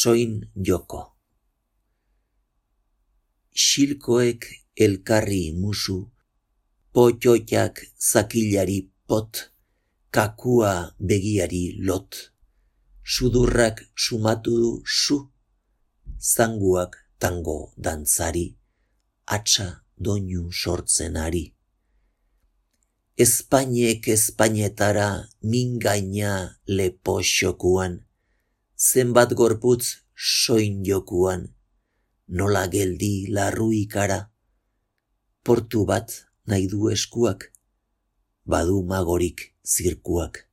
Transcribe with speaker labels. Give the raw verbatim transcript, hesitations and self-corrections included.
Speaker 1: soin joko. Xilkoek elkarri musu, potxoiak zakilari pot, kakua begiari lot, sudurrak sumatu du su, zanguak tango dantzari, atxa doinu sortzen ari. Espainek espainetara mingaina lepo xokuan, zenbat gorputz soin jokuan, nola geldi larru ikara, portu bat nahi du eskuak, badu magorik zirkuak.